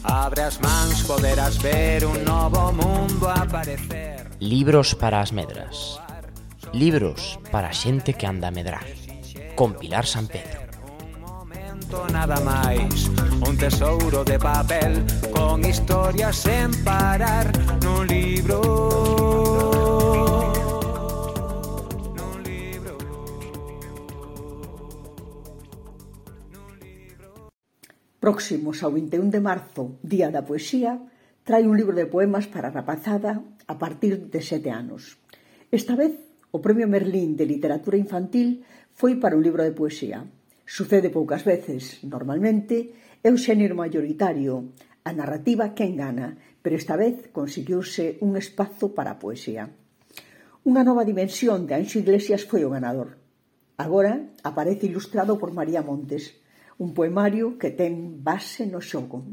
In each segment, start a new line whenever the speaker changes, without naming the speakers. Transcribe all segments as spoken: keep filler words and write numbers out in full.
Abre as mans, poderás ver un novo mundo aparecer.
Libros para as medras. Libros para a xente que anda a medrar. Con Pilar San Pedro.
Un momento nada máis, un tesouro de papel con historias sen parar nun libro. Nun libro. Nun libro.
Próximos ao vinte e un de marzo, Día da Poesía, trae un libro de poemas para a rapazada a partir de sete anos. Esta vez, o Premio Merlín de Literatura Infantil foi para un libro de poesía. Sucede poucas veces, normalmente, é o xénero maioritario, a narrativa que engana, pero esta vez conseguiuse un espazo para a poesía. Unha nova dimensión de Anxo Iglesias foi o ganador. Agora aparece ilustrado por María Montes, un poemario que ten base no xogo.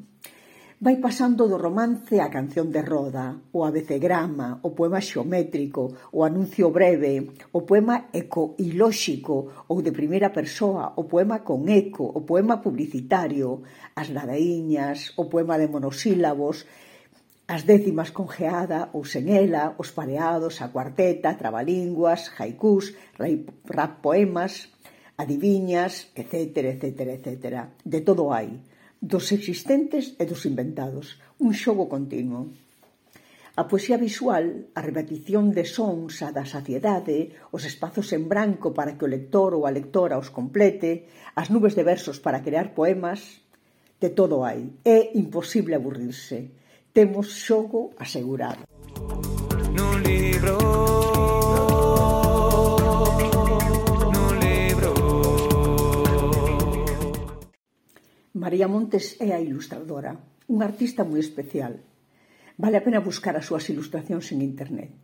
Vai pasando do romance á canción de roda, o abecegrama, o poema xeométrico, o anuncio breve, o poema ecoilóxico ou de primeira persoa, o poema con eco, o poema publicitario, as ladaíñas, o poema de monosílabos, as décimas con geada ou sen ela, os pareados, a cuarteta, trabalínguas, haikus, rap poemas, adiviñas, etcétera, etcétera, etcétera. De todo hai, dos existentes e dos inventados, un xogo continuo. A poesía visual, a repetición de sons, a da saciedade, os espazos en branco para que o lector ou a lectora os complete, as nubes de versos para crear poemas, de todo hai. É imposible aburrirse. Temos xogo asegurado.
Nun libro.
María Montes é a ilustradora, unha artista moi especial. Vale a pena buscar as súas ilustracións en internet.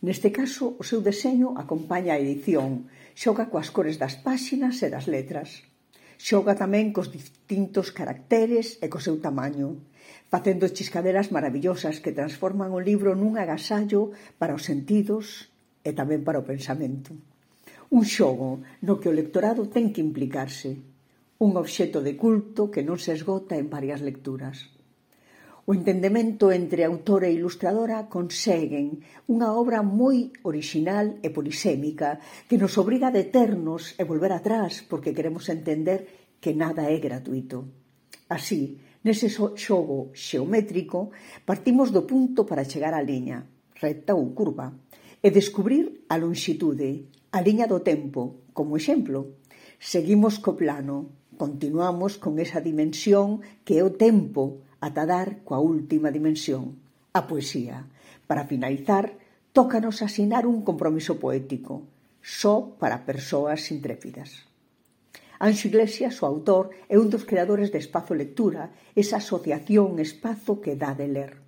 Neste caso, o seu deseño acompaña a edición, xoga coas cores das páxinas e das letras. Xoga tamén cos distintos caracteres e co seu tamaño, facendo chiscaderas maravillosas que transforman o libro nun agasallo para os sentidos e tamén para o pensamento. Un xogo no que o lectorado ten que implicarse. Un obxecto de culto que non se esgota en varias lecturas. O entendemento entre autor e ilustradora conseguen unha obra moi original e polisémica que nos obriga a deternos e volver atrás porque queremos entender que nada é gratuito. Así, nese xogo xeométrico, partimos do punto para chegar á liña, recta ou curva, e descubrir a lonxitude, a liña do tempo, como exemplo. Seguimos co plano. Continuamos con esa dimensión que é o tempo ata dar coa última dimensión, a poesía. Para finalizar, tócanos asinar un compromiso poético, só para persoas intrépidas. Anxo Iglesias, o autor, é un dos creadores de Espazo Lectura, esa asociación espazo que dá de ler.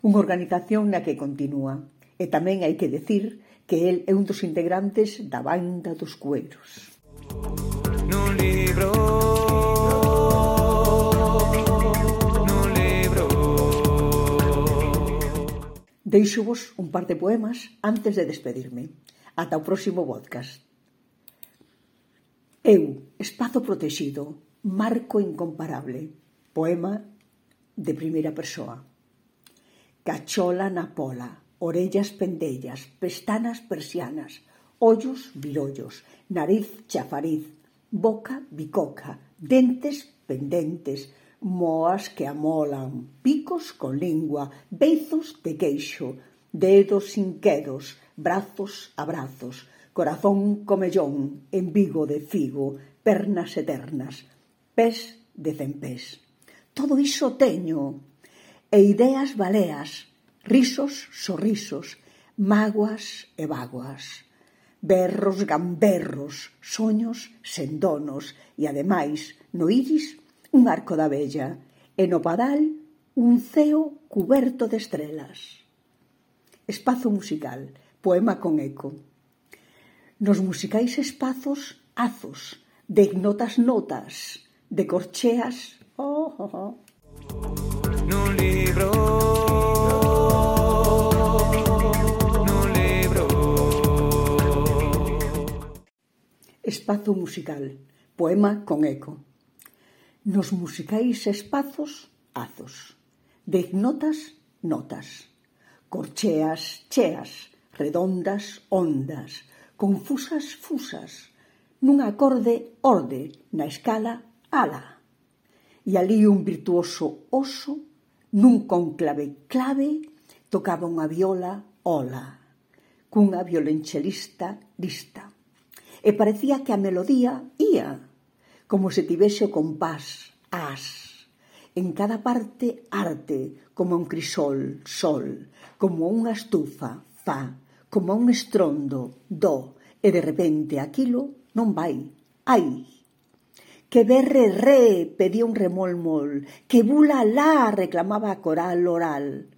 Unha organización na que continúa. E tamén hai que decir que el é un dos integrantes da Banda dos Cueiros.
Nun libro. Nun libro.
Deixo-vos un par de poemas antes de despedirme. Ata o próximo podcast. Eu, espazo protexido, marco incomparable. Poema de primeira persoa. Cachola na pola, orellas pendellas, pestanas persianas, ollos virollos, nariz chafariz, boca bicoca, dentes pendentes, moas que amolan, picos con lingua, beizos de queixo, dedos inquedos, brazos a brazos, corazón comellón, embigo de figo, pernas eternas, pés de cempés. Todo iso teño, e ideas baleas, risos sorrisos, mágoas e vaguas, berros gamberros, soños sen donos e, ademais, no iris, un arco da vella e no padal, un ceo cuberto de estrelas. Espazo musical, poema con eco. Nos musicais espazos, azos, de ignotas notas, de corcheas, oh, oh, oh.
Nun libro.
Espazo musical, poema con eco. Nos musicais espazos, azos. Dez notas, notas. Corcheas, cheas, redondas, ondas, confusas, fusas, nun acorde, orde, na escala, ala. E ali un virtuoso oso, nun conclave clave, tocaba unha viola, ola, cunha violonchelista lista. E parecía que a melodía ía, como se tivese o compás, as. En cada parte, arte, como un crisol, sol, como unha estufa, fa, como un estrondo, do, e de repente aquilo non vai, ai. Que berre re, pedía un remol mol, que bula la, reclamaba a coral oral.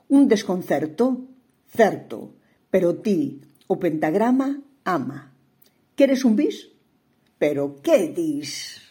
Un desconcerto, certo, pero ti, o pentagrama, ama. Queres un bis? Pero que dis?